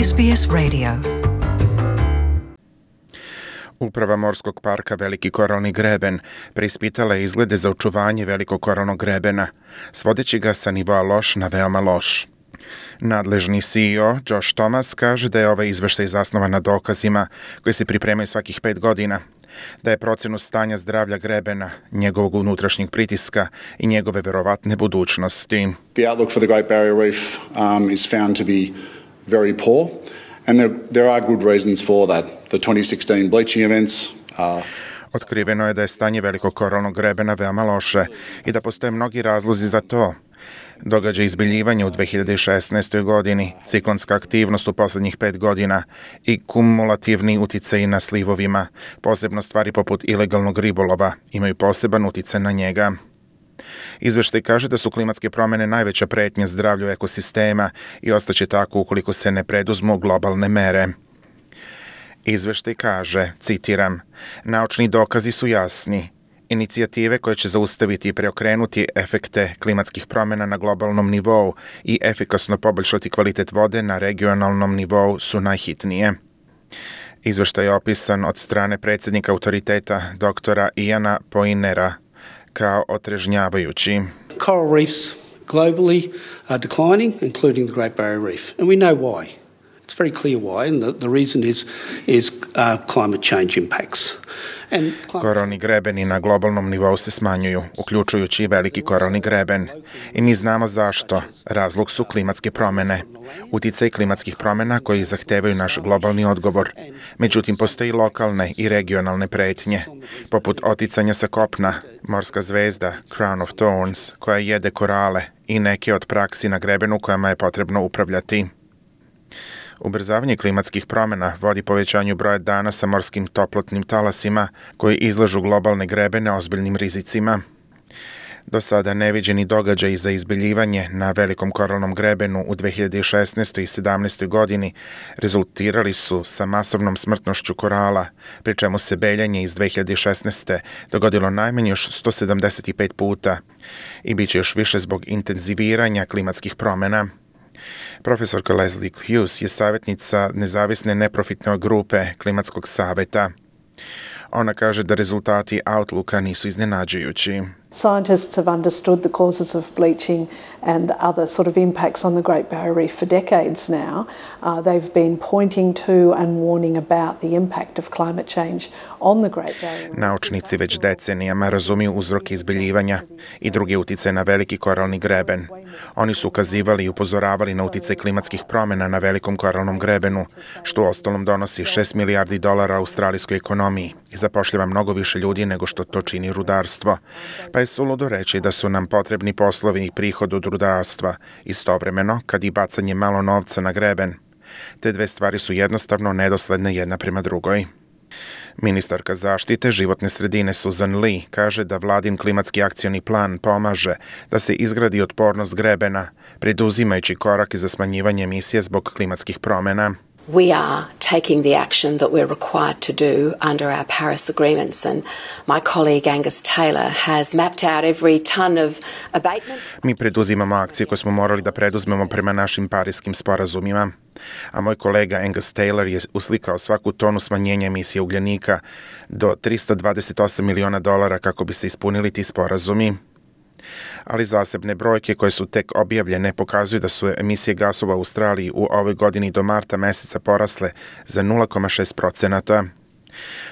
SBS Radio. Uprava Morskog parka Veliki koralni greben preispitala je izglede za očuvanje Velikog koralnog grebena, svodeći ga sa nivoa loš na veoma loš. Nadležni CEO Josh Thomas kaže da je ovaj izveštaj zasnovan na dokazima koji se pripremaju svakih 5 godina, da je procenu stanja zdravlja grebena, njegovog unutrašnjeg pritiska i njegove verovatne budućnosti. The outlook for the Great Barrier Reef is found to be very poor, and there are good reasons for that. The 2016 bleaching events Otkriveno je da je stanje Velikog koralnog grebena veoma loše i da postoje mnogi razlozi za to. Događaj izbiljivanja u 2016. godini, ciklonska aktivnost u poslednjih 5 godina i kumulativni uticaj na slivovima, posebno stvari poput ilegalnog ribolova, imaju poseban uticaj na njega. Izveštaj kaže da su klimatske promene najveća pretnja zdravlju ekosistema i ostaće tako ukoliko se ne preduzmu globalne mere. Izveštaj kaže, citiram, naučni dokazi su jasni. Inicijative koje će zaustaviti i preokrenuti efekte klimatskih promjena na globalnom nivou i efikasno poboljšati kvalitet vode na regionalnom nivou su najhitnije. Izveštaj je opisan od strane predsjednika autoriteta doktora Iana Poinera kao otrežnjavajući. Coral reefs globally are declining, including the Great Barrier Reef, and we know why. It's very clear why, and the reason is climate change impacts. Koralni grebeni na globalnom nivou se smanjuju, uključujući i Veliki koralni greben. I mi znamo zašto. Razlog su klimatske promjene. Uticaj klimatskih promjena koji zahtevaju naš globalni odgovor. Međutim, postoji lokalne i regionalne pretnje, poput oticanja sa kopna, morska zvezda, Crown of Thorns, koja jede korale i neke od praksi na grebenu kojima je potrebno upravljati. Ubrzavanje klimatskih promjena vodi povećanju broja dana sa morskim toplotnim talasima koji izlažu globalne grebene ozbiljnim rizicima. Do sada neviđeni događaji za izbiljivanje na Velikom koralnom grebenu u 2016. i 2017. godini rezultirali su sa masovnom smrtnošću korala, pri čemu se beljanje iz 2016. dogodilo najmanje još 175 puta i bit će još više zbog intenziviranja klimatskih promjena. Profesorka Leslie Hughes je savjetnica nezavisne neprofitne grupe Klimatskog saveta. Ona kaže da rezultati Outlooka nisu iznenađujući. Scientists have understood the causes of bleaching and other sort of impacts on the Great Barrier Reef for decades now. They've been pointing to and warning about the impact of climate change on the Great Barrier Reef. Naučnici već decenijama razumiju uzroke izbiljivanja i druge uticaje na Veliki koralni greben. Oni su ukazivali i upozoravali na uticaj klimatskih promjena na Velikom koralnom grebenu, što u ostalom donosi $6 milijardi australijskoj ekonomiji i zapošljava mnogo više ljudi nego što to čini rudarstvo. Pa je suludo reći da su nam potrebni poslovi i prihod od rudarstva, istovremeno kad i bacanje malo novca na greben. Te dve stvari su jednostavno nedosledne jedna prema drugoj. Ministarka zaštite životne sredine Susan Lee kaže da vladin klimatski akcioni plan pomaže da se izgradi otpornost grebena, preduzimajući korake za smanjivanje emisije zbog klimatskih promjena. We are taking the action that we're required to do under our Paris agreements, and my colleague Angus Taylor has mapped out every ton of abatement. Mi preduzimamo akcije koje smo morali da preduzmemo prema našim pariskim sporazumima, a moj kolega Angus Taylor je uslikao svaku tonu smanjenja emisije ugljenika do $328 miliona kako bi se ispunili ti sporazumi. Ali zasebne brojke koje su tek objavljene pokazuju da su emisije gasova u Australiji u ovoj godini do marta meseca porasle za 0,6%.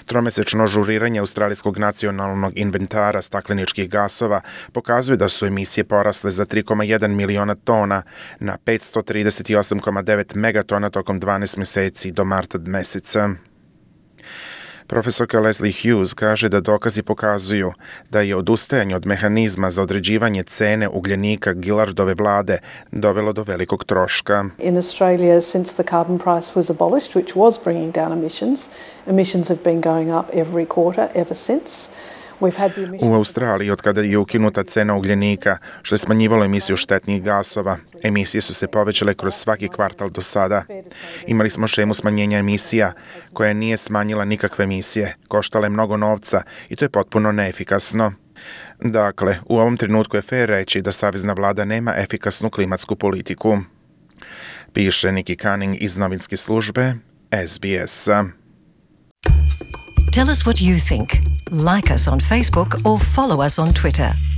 Tromesečno žuriranje Australijskog nacionalnog inventara stakleničkih gasova pokazuje da su emisije porasle za 3,1 miliona tona na 538,9 megatona tokom 12 meseci do marta meseca. Profesorka Leslie Hughes kaže da dokazi pokazuju da je odustajanje od mehanizma za određivanje cene ugljenika Gillardove vlade dovelo do velikog troška. In Australia, since the carbon price was abolished, which was bringing down emissions have been going up every quarter ever since. U Australiji, od kada je ukinuta cena ugljenika, što je smanjivalo emisiju štetnih gasova, emisije su se povećale kroz svaki kvartal do sada. Imali smo šemu smanjenja emisija, koja nije smanjila nikakve emisije, koštala je mnogo novca i to je potpuno neefikasno. Dakle, u ovom trenutku je fair reći da savezna vlada nema efikasnu klimatsku politiku. piše Nikki Cunning iz novinske službe SBS-a. Tell us what you think. Like us on Facebook or follow us on Twitter.